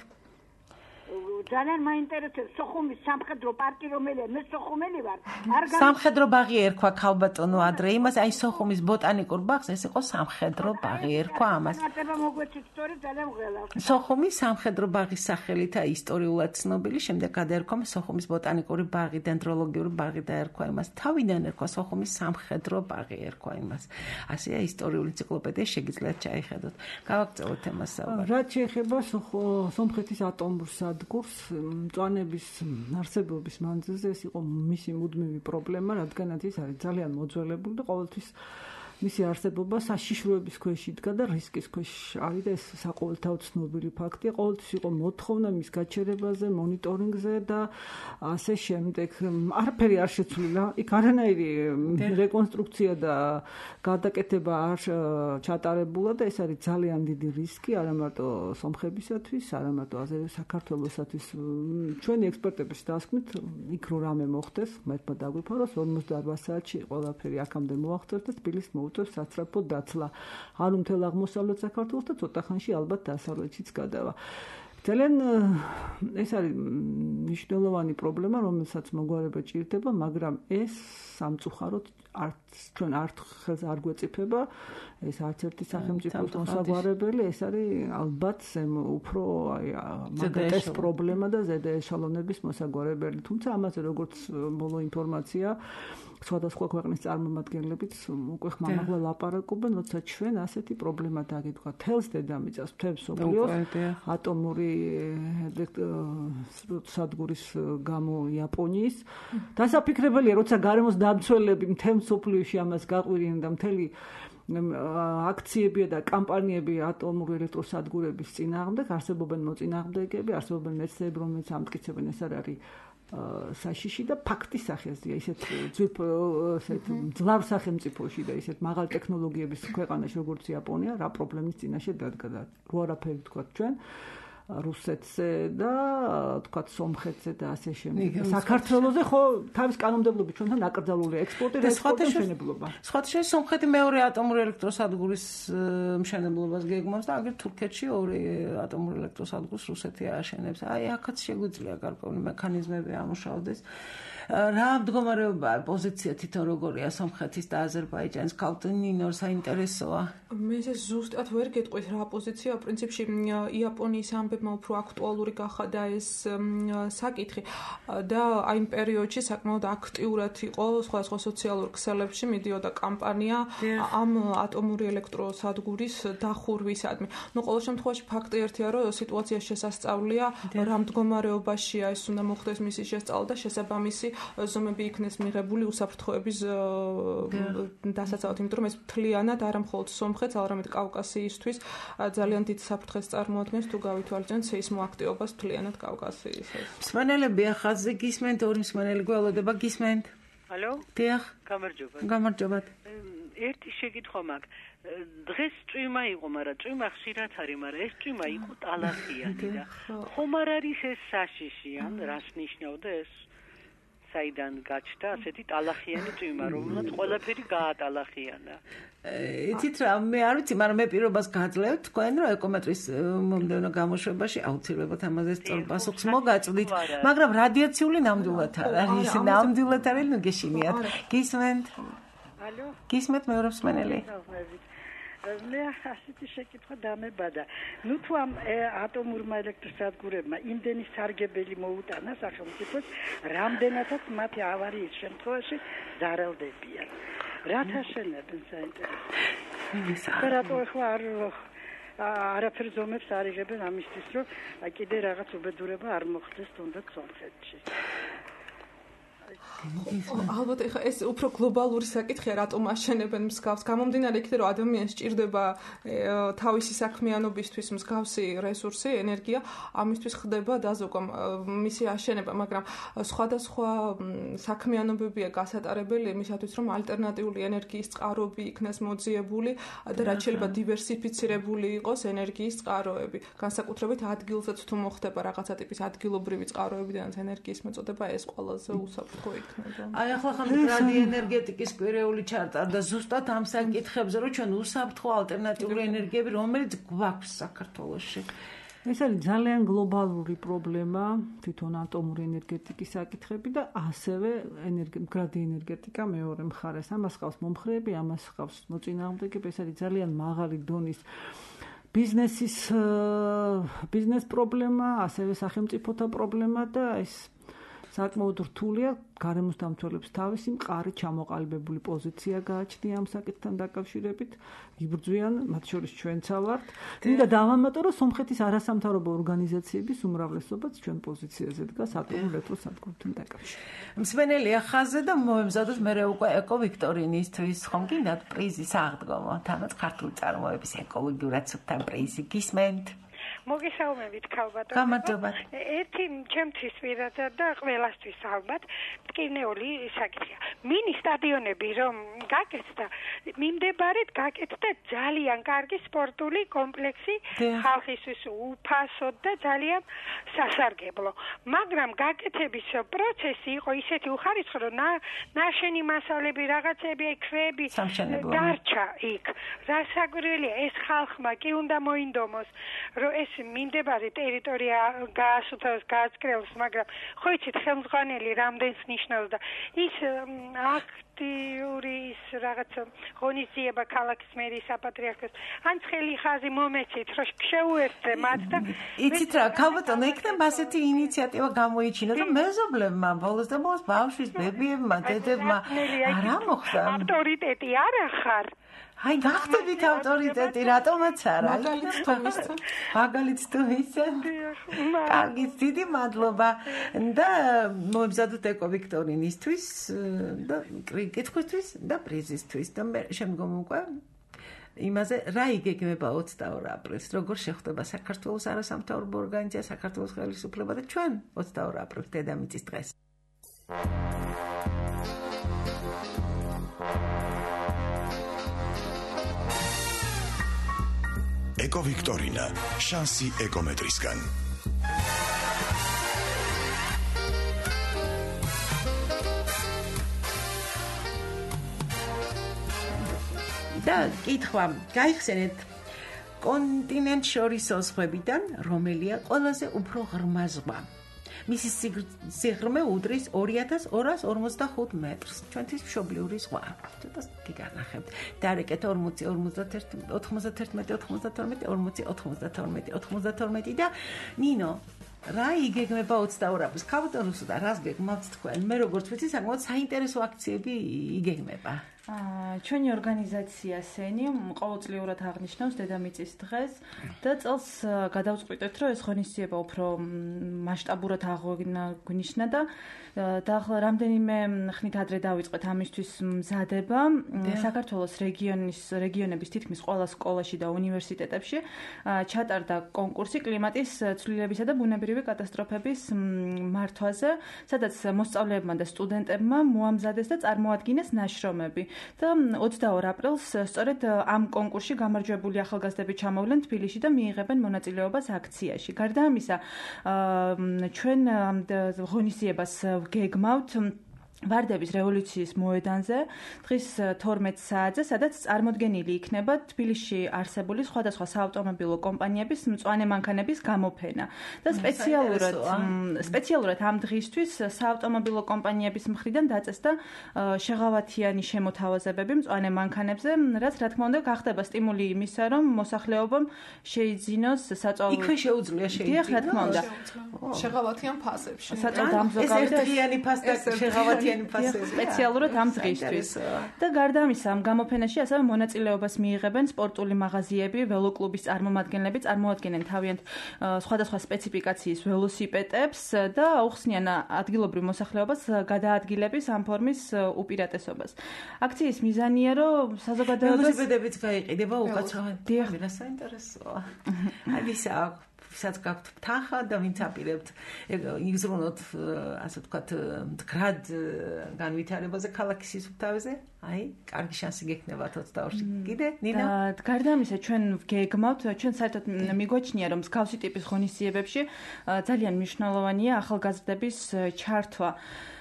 S8: ძალიან მაინტერესებს სოხუმის სამხედრო პარკი, რომელია მე სოხუმელი ვარ.
S2: სამხედრო ბაღი ერქვა ქალბატონო ადრე იმას, აი სოხუმის ბოტანიკურ ბაღს ეს იყო სამხედრო ბაღი ერქვა ამას. სოხუმის სამხედრო ბაღის სახელითა ისტორიულად ცნობილი, შემდეგ გადაერქვა სოხუმის ბოტანიკური ბაღი, დენდროლოგიური ბაღი დაერქვა იმას. თავიდან ერქვა სოხუმის სამხედრო ბაღი ერქვა იმას. ასეა ისტორიული ენციკლოპედია, შეგიძლიათ ჩაიხედოთ. გავაგრძელოთ თემას საუბარი.
S4: რაც შეეხება სომხეთის ატომურ სადგურს მწვანების არსებობის მანძილზე ეს იყო მისი მუდმივი პრობლემა, რადგანაც ის არის ძალიან მოძველებული და ყოველთვის მისი არსებობა საშიშროების ქვეშ იდგა და რისკის ქვეშ არის და ეს საყოველთაოდ ცნობილი ფაქტია. ყოველთვის იყო მოთხოვნა მის გაჩერებაზე, მონიტორინგზე და ასე შემდეგ. არაფერი არ შეცვლილა. იქ არანაირი რეკონსტრუქცია და გადაკეთება არ ჩატარებულა და ეს არის ძალიან დიდი რისკი არა მარტო სომხებისათვის, არა მარტო საქართველოსათვის. ჩვენი ექსპერტების დასკვნით იქ რო რამე მოხდეს, მეთქმა დაგვიფაროს 48 საათში ყველაფერი აქამდე მოახერხეს და თბილისს საცრაფო დაცლა. არ უმთელ აღმოსავლეთ საქართველოს და ცოტა ხანში ალბათ დასავლეთშიც გადავა. ძალიან ეს არის მნიშვნელოვანი პრობლემა, რომელსაც მოგვარება ჭირდება, მაგრამ ეს სამწუხაროდ ჩვენ არც არ გვეწიფება, ეს არც ერთი სახელმწიფოს მოსაგვარებელი, ეს არის ალბათ უფრო მაგათეს პრობლემა და ზედა ეშალონების მოსაგვარებელი. თუმცა ამაზე როგორც ბოლო ინფორმაცია სხვადასხვა ქვეყნის წარმომადგენლებიც უკვე ხმამაღლა ლაპარაკობენ, როცა ჩვენ ასეთი პრობლემა დაგიდგა თელს დედამიწას, მთელს მსოფლიოს ატომური სადგურის გამო იაპონიის. დასაფიქრებელია, როცა გარემოს დამცველები მთელ მსოფლიოში ამას გაყვირიან და მთელი აქციებია და კამპანიები ატომური ელექტროსადგურების წინააღმდეგ, არსებობენ მოწინააღმდეგეები, არსებობენ მეცნიერები, რომელთაც ამტკიცებენ ეს არ არის საშიში და ფაქტის სახეზია ისეთ ძლავ სახელმწიფოში და ისეთ მაღალ ტექნოლოგიების ქვეყანაში როგორც იაპონია რა პრობლემის წინაშე დადგა და რო არაფერი თქვა ჩვენ რუსეთზე და თქვა სომხეთზე და ასე შემდეგ. საქართველოზე ხო თავის კანონმდებლობით ჩვენთან აკრძალულია ექსპორტი და მშენებლობა.
S2: სხვათა სომხეთი მეორე ატომური ელექტროსადგურის მშენებლობას გეგმავს და აგერ თურქეთში ორი ატომური ელექტროსადგურს რუსეთი ააშენებს. აი აქაც შეგვიძლია გარკვეული მექანიზმები ამუშავდეს. რა მდგომარეობაა პოზიცია თვითონ როგორია სომხეთის და აზერბაიჯანის კავტონინორ საინტერესოა.
S5: მე ზუსტად ვერ გეტყვით რა პოზიცია პრინციპში იაპონიის ამბები მშობლებმა უფრო აქტუალური გახადა ეს საკითხი და აი იმ პერიოდში საკმაოდ აქტიურად იყო სხვადასხვა სოციალურ ქსელებში მიდიოდა კამპანია ამ ატომური ელექტროსადგურის დახურვისადმი. ნუ ყოველ შემთხვევაში ფაქტი ერთია, რომ სიტუაცია შესასწავლია, რა მდგომარეობაშია ეს უნდა მოხდეს მისი შესწავლა და შესაბამისი ზომები იქნეს მიღებული უსაფრთხოების დასაცავად, იმიტომ რომ ეს მთლიანად არა მხოლოდ სომხეთს, არამედ კავკასიისთვის ძალიან დიდ საფრთხეს წარმოადგენს თუ გავითვალისწინებთ სეისმოაქტივობას მთლიანად კავკასიისას.
S2: მსმენელები ახალზე გისმენთ, ორი მსმენელი გველოდება გისმენთ.
S9: ალო?
S2: დიახ.
S9: გამარჯობა.
S2: გამარჯობათ.
S9: ერთი შეკითხვა მაქვს. დღეს წვიმა იყო, მაგრამ წვიმა ხშირად არის, მაგრამ ეს წვიმა იყო ტალახიანი და ხომ არ არის ეს საშიში, ან რას ნიშნავდა ეს? საიდან გაჩნდა ასეთი ტალახიანი წვიმა, რომელსაც ყველაფერი გაატალახიანა.
S2: იცით რა, მე არ ვიცი, მაგრამ მე პირობას გაძლევთ თქვენ, რომ ეკომეტრის მომდევნო გამოშვებაში აუცილებლად ამაზე სწორ პასუხს მოგაწვდით, მაგრამ რადიაციული ნამდვილად არ არის, ნამდვილად არის, ნუ გეშინიათ. გისმენთ?
S7: ალო?
S2: გისმენთ მეორე მსმენელი?
S7: მე ასეთი შეკითხვა დამებადა. ნუ თუ ამ ატომურმა ელექტროსადგურებმა იმდენი სარგებელი მოუტანა სახელმწიფოს, რამდენადაც მათი ავარიის შემთხვევაში ზარალდებიან. რათა შენებენ საინტერესო. რატო ახლა არაფერს ზომებს არ იღებენ ამისთვის, რომ კიდე რაღაც უბედურება არ მოხდეს თუნდაც სომხეთში.
S5: ალბათ ეხა ეს უფრო გლობალური საკითხია, რატომ აშენებენ მსგავს. გამომდინარე იქიდან, რომ ადამიანს სჭირდება თავისი საქმიანობისთვის მსგავსი რესურსი, ენერგია, ამისთვის ხდება დაზოგვა მისი აშენება, მაგრამ სხვადასხვა საქმიანობებია გასატარებელი იმისათვის, რომ ალტერნატიული ენერგიის წყაროები იქნას მოძიებული და რაც შეიძლება დივერსიფიცირებული იყოს ენერგიის წყაროები. განსაკუთრებით ადგილზეც თუ მოხდება რაღაცა ტიპის ადგილობრივი წყაროებიდან ენერგიის მოწოდება, ეს ყველაზე უსაფრთხო იქნება.
S2: აი ახლა ხანდახან ენერგეტიკის კვირეული ჩარტარდა ზუსტად ამ საკითხებზე, რომ ჩვენ უსაფრთხო ალტერნატიული ენერგიები რომელიც გვაქვს საქართველოში.
S4: ეს არის ძალიან გლობალური პრობლემა, თვითონ ატომური ენერგეტიკის საკითხები და ასევე მდგრადი ენერგეტიკა მეორე მხარეს. ამას ხავს მომხრეები, ამას ხავს მოწინააღმდეგეები, ეს არის ძალიან მაღალი დონის ბიზნეს პრობლემა, ასევე სახელმწიფოთა პრობლემა და ეს საკმაოდ რთულია გარემოს დამცველებს თავისი მყარი ჩამოყალიბებული პოზიცია გააჩნია ამ საკითხთან დაკავშირებით. იბრძვიან, მათ შორის ჩვენცა ვართ. მინდა დავამატო, რომ სომხეთის არასამთავრობო ორგანიზაციების უმრავლესობაც ჩვენ პოზიციაზე დგას ატომურ ელექტროსადგურთან დაკავშირებით.
S2: მსმენელი ახალზე და მოემზადოთ მერე უკვე ეკოვიქტორინისთვის ხომ გინდათ პრიზის აღდგომა, თანაც ქართული წარმოების ეკოლოგიურად სუფთა პრიზი გისმენთ?
S7: მოგესალმებით ქალბატონო.
S2: გამარჯობა.
S7: ერთი ჩემთვის პირადად და ყველასთვის ალბათ მტკივნეული საკითხია. მინი სტადიონები რომ გაკეთდა, მიმდებარედ გაკეთდა ძალიან კარგი სპორტული კომპლექსი ხალხისთვის უფასოდ და ძალიან სასარგებლო. მაგრამ გაკეთების პროცესი იყო ისეთი უხარისხო, რომ ნაშენი მასალები, რაღაცები, ქვები დარჩა იქ. რასაკვირველია, ეს ხალხმა კი უნდა მოინდომოს, რომ ეს მიმდებარე ტერიტორია გაასუთავს, გააწკრელოს, მაგრამ ხო იცით, ხელმძღვანელი რამდენს ნიშნავს და ის აქტიური ის რაღაც ღონისძიება ქალაქის მერის საპატრიარქოს ან ცხელი ხაზი მომეცით, რომ შეუერთდე მათ და
S2: იცით რა, ქალბატონო, იქნება ასეთი ინიციატივა გამოიჩინა, რომ მეზობლებმა ბოლოს და ბოლოს ბავშვის ბებიებმა, დედებმა არა მოხდა.
S7: ავტორიტეტი არ ახარ.
S2: აი გახდებით ავტორიტეტი, რატომაც არა? მაგალითს თუ მისცემ. კარგი, დიდი მადლობა და მოემზადოთ ეკოვიქტორინისთვის და კითხვისთვის და პრიზისთვის და მე შემდგომ უკვე იმაზე რა იგეგმება 22 აპრილს, როგორ შეხვდება საქართველოს არასამთავრობო ორგანიზაცია, საქართველოს ხელისუფლება და ჩვენ 22 აპრილს დედამიწის დღეს.
S1: ეკოვიქტორინა, შანსი ეკომეტრისგან.
S2: და კითხვა, გაიხსენეთ კონტინენტ შორისო ზღვებიდან რომელია ყველაზე უფრო ღრმა ზღვა? მისი სიღრმე უდრის 2245 მეტრს. ჩვენთვის მშობლიური ზღვა. ცოტა გიგანახებთ. დაარეკეთ 40, 51, 91, 92, 40, 92 და ნინო რა იგეგმება 22 აპრილს? ქალბატონოსო და რას გეგმავთ თქვენ? მე როგორც ვიცი, საკმაოდ საინტერესო აქციები იგეგმება.
S10: ჩვენი ორგანიზაცია სენი ყოველწლიურად აღნიშნავს დედამიწის დღეს და წელს გადავწყვიტეთ, რომ ეს ღონისძიება უფრო მასშტაბურად აღგვინიშნა და ახლა რამდენიმე ხნით ადრე დავიწყეთ ამისთვის მზადება. საქართველოს რეგიონების თითქმის ყველა სკოლაში და უნივერსიტეტებში ჩატარდა კონკურსი კლიმატის ცვლილებისა და ბუნებრივი კატასტროფების მართვაზე, სადაც მოსწავლეებმა და სტუდენტებმა მოამზადეს და წარმოადგინეს ნაშრომები. და 22 აპრილს სწორედ ამ კონკურსში გამარჯვებული ახალგაზრდები ჩამოვლენ თბილისში და მიიღებენ მონაწილეობას აქციაში. გარდა ამისა, ჩვენ ღონისძიებას გეგმავთ ვარდების რევოლუციის მოედანზე დღის 12 საათზე, სადაც წარმოდგენილი იქნება თბილისში არსებული სხვადასხვა საავტომობილო კომპანიების მწვანე მანქანების გამოფენა. და სპეციალურად ამ დღისთვის საავტომობილო კომპანიების მხრიდან დაწესდა შეღავათიანი შემოთავაზებები მწვანე მანქანებზე, რაც რა თქმა უნდა გახდება სტიმული იმისა, რომ მოსახლეობამ შეიძინოს საწვავ
S2: იქვე შეუძლია
S10: დიახ, რა თქმა უნდა.
S5: შეღავათიან ფასებში.
S10: საწვავ დამზოგავი
S2: და ერთიანი ფას და შეღავათიანი
S10: სპეციალურად ამ დღისთვის. და გარდა ამისა, ამ გამოფენაში ასევე მონაწილეობას მიიღებენ სპორტული მაღაზიები, ველოკლუბის წარმომადგენლები, წარმოადგენენ თავიანთ სხვადასხვა სპეციფიკაციის ველოსიპედებს და აუხსნიან ადგილობრივ მოსახლეობას გადაადგილების ამ ფორმის უპირატესობას. აქციის მიზანია, რომ საზოგადოებას
S2: ველოსიპედებიც გაიყიდება უკაცრავად. დიახ, საინტერესოა. აი ვისა ვისაც გაქვთ თანხა და ვინც აპირებთ იზრუნოთ, ასე ვთქვათ, მდგრად განვითარებაზე ქალაქის სისუფთავეზე, აი, კარგი შანსი გექნებათ 22-ში. კიდე, ნინა?
S10: გარდა ამისა, ჩვენ გეგმავთ, ჩვენ საერთოდ მიგვაჩნია, რომ მსგავსი ტიპის ღონისძიებებში ძალიან მნიშვნელოვანია ახალგაზრდების ჩართვა.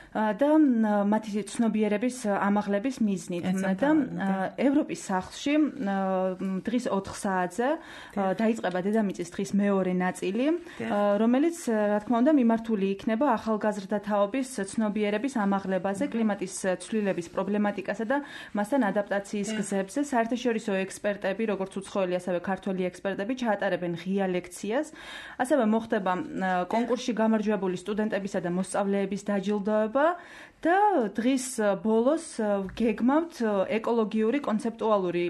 S10: და მათი ცნობიერების ამაღლების მიზნით და ევროპის სახლში დღის 4 საათზე დაიწყება დედამიწის დღის მეორე ნაწილი, რომელიც რა თქმა უნდა მიმართული იქნება ახალგაზრდათაობის ცნობიერების ამაღლებაზე, კლიმატის ცვლილების პრობლემატიკასა და მასთან ადაპტაციის გზებზე. საერთაშორისო ექსპერტები, როგორც უცხოელი, ასევე ქართველი ექსპერტები ჩაატარებენ ღია ლექციას. ასევე მოხდება კონკურსში გამარჯვებული სტუდენტებისა და მოსწავლეების დაჯილდოება. და დღის ბოლოს გეგმავთ ეკოლოგიური კონცეპტუალური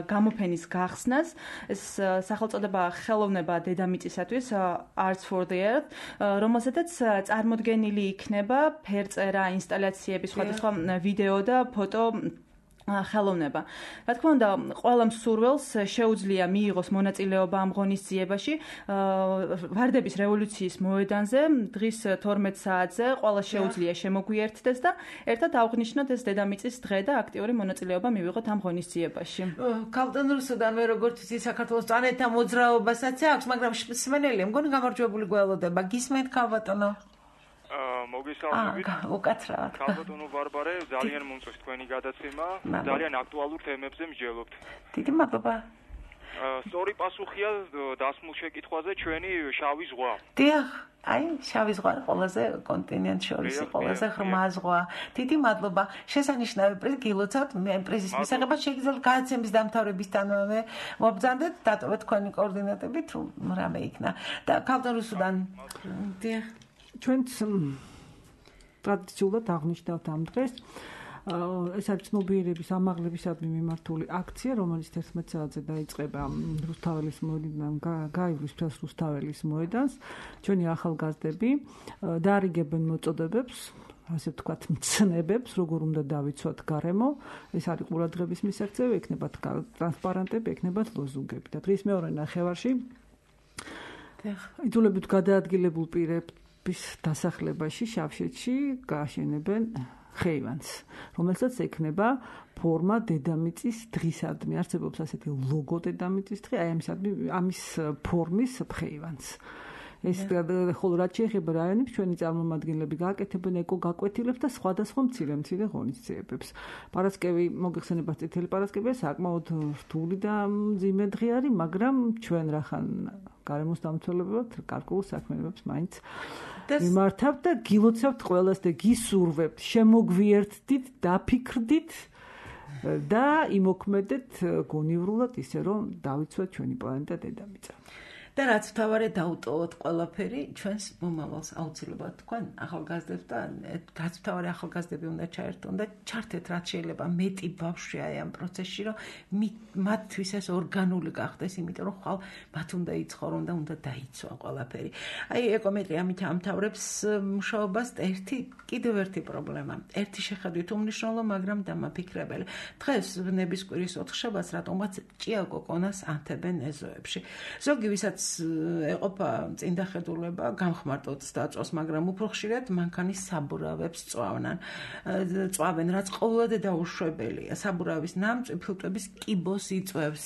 S10: გამოფენის გახსნას. ეს სახელწოდება ხელოვნება დედამიწისათვის, Arts for the Earth, რომელზედაც წარმოდგენილი იქნება ფერწერა, ინსტალაციები, სხვადასხვა ვიდეო და ფოტო ხელოვნება. რა თქმა უნდა, ყველა მსურველს შეუძლია მიიღოს მონაწილეობა ამ ღონისძიებაში. ვარდების რევოლუციის მოედანზე დღის 12 საათზე ყველა შეუძლია შემოგვიერთდეს და ერთად აღნიშნოთ ეს დედამიწის დღე და აქტიური მონაწილეობა მივიღოთ ამ ღონისძიებაში.
S2: ქალბატონ რუსუდან მე როგორც ვიცი, საქართველოს წანეთა მოძრაობასაც აქვს, მაგრამ მსმენელია, მგონი გამარჯვებული გველოდება. გისმენთ ქალბატონო?
S11: მოგესალმებით.
S2: უკაცრავად.
S11: ქალბატონო ბარბარე, ძალიან მომწონს თქვენი გადაცემა, ძალიან აქტუალურ თემებზე მსჯელობთ.
S2: დიდი მადლობა.
S11: სწორი პასუხია დასმულ შეკითხვაზე ჩვენი შავი ზღვა.
S2: დიახ, აი, შავი ზღვა ყველაზე კონტინენტ შორის ყველაზე ღრმა ზღვა. დიდი მადლობა. შესანიშნავი პრიზი გილოცავთ. მე პრიზის მისაღებად შეგიძლიათ გადაცემის დამთავრებისთანავე მობრძანდეთ, დატოვეთ თქვენი კოორდინატები, თუ რამე იქნა. და ქალბატონ რუსუდან. დიახ.
S4: ჩვენც ტრადიციულად აღნიშნავთ ამ დღეს. ეს არის ცნობიერების ამაღლებისადმი მიმართული აქცია, რომელიც 11 საათზე დაიწყება რუსთაველის მოედნიდან, გაივლის ფრას რუსთაველის მოედანს. ჩვენი ახალგაზრდები დაარიგებენ მოწოდებებს, ასე ვთქვათ, მცნებებს, როგორ უნდა დავიცვათ გარემო. ეს არის ყურადღების მისაღწევი, ექნებათ ტრანსპარანტები, ექნებათ ლოზუნგები. და დღის მეორე ნახევარში იძულებით გადაადგილებულ პირების დასახლებაში შავშეთში გააშენებენ ხეივანს, რომელსაც ექნება ფორმა დედამიწის დღისადმი. არსებობს ასეთი ლოგო დედამიწის დღე, აი ამის ფორმის ხეივანს. ეს ხოლო რაც შეეხება რაიონებს, ჩვენი წარმომადგენლები გააკეთებენ ეკოგაკვეთილებს და სხვადასხვა მცირე ღონისძიებებს. პარასკევი, მოგეხსენებათ, წითელი პარასკევია საკმაოდ რთული და მძიმე დღე არის, მაგრამ ჩვენ რახან გარემოს დამცველებად, გარკვეულ საქმიანობებს მაინც მიმართავთ და გილოცავთ ყველას და გისურვებთ, შემოგვიერთდით, დაფიქრდით და იმოქმედეთ გონივრულად ისე რომ დავიცვათ ჩვენი პლანეტა დედამიწა.
S2: და რაც თავარე დაუტოვოთ ყველაფერი ჩვენს მომავალს აუცილებლად თქვენ ახალგაზრდებს და რაც თავარე ახალგაზრდები უნდა ჩაერთონ და ჩართეთ რაც შეიძლება მეტი ბავშვი აი ამ პროცესში რომ მათთვის ეს ორგანული გახდეს იმიტომ რომ ხვალ მათ უნდა იცხოვრონ და უნდა დაიცვა ყველაფერი აი ეკომეტრია ამით ამთავრებს მუშაობას კიდევ ერთი პრობლემა ერთი შეხედვით უმნიშვნელო მაგრამ დამაფიქრებელი დღეს ნებისკვირის ოთხშაბათს რატომაც ჭიაკოკონას ანთებენ ეზოებში ზოგი ვისაც ეყოფა წინდახედულება გამხმარტოთ დაწვას, მაგრამ უფრო ხშირად მანქანის საბურავებს წვავენ, რაც ყოველდღე დაუშვებელია. საბურავის ნამწვი ფილტვების კიბოს იწვევს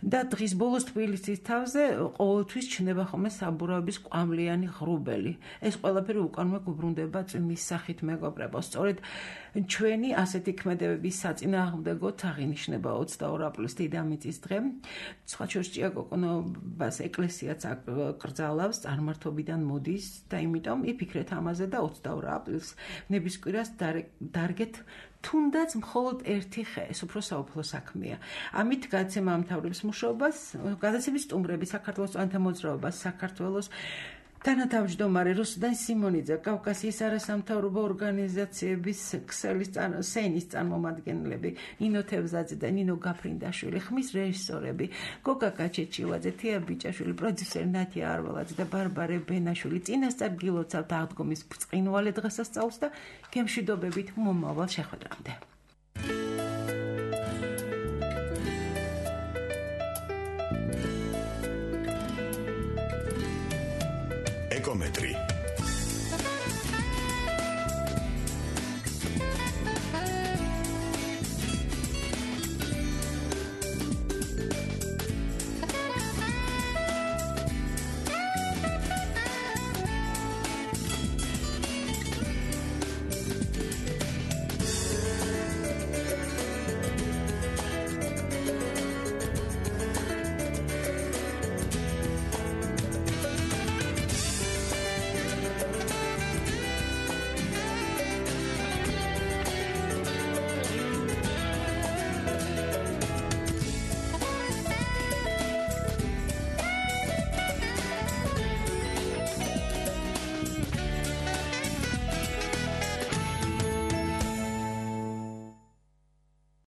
S2: და დღის ბოლოს თბილისის თავზე ყოველთვის ჩნდება ხოლმე საბურავების კვამლიანი ღრუბელი. ეს ყველაფერი უკანვე გუბრუნდება წვიმის სახით მეგობრებო. სწორედ ჩვენი ასეთი ქმედებების საწინააღმდეგოდ აღინიშნება 22 აპრილის დედამიწის დღე. სხვა შორის ჭიაკოკონობას ეკლესიაც აკრძალავს, წარმართობიდან მოდის და იმიტომ იფიქრეთ ამაზე და 22 აპრილს ნებისკვირას დარგეთ თუნდაც მხოლოდ ერთი ხე, ეს უფრო საუფლო საქმეა. ამით გადაცემა ამთავრებს მუშაობას, გადაცემის სტუმრები საქართველოს წვანთა მოძრაობას, საქართველოს თანათავმჯდომარე რუსუდან სიმონიძე, კავკასიის არასამთავრობო ორგანიზაციების სენის წარმომადგენლები, ნინო თევზაძე და ნინო გაფრინდაშვილი, ხმის რეჟისორები, გოგა კაჩეჩილაძე, თია ბიჭაშვილი, პროდიუსერი ნათია არვალაძე და ბარბარე ბენაშვილი წინასწარ გილოცავთ აღდგომის ბრწყინვალე დღესასწაულს და გემშვიდობებით მომავალ შეხვედრამდე.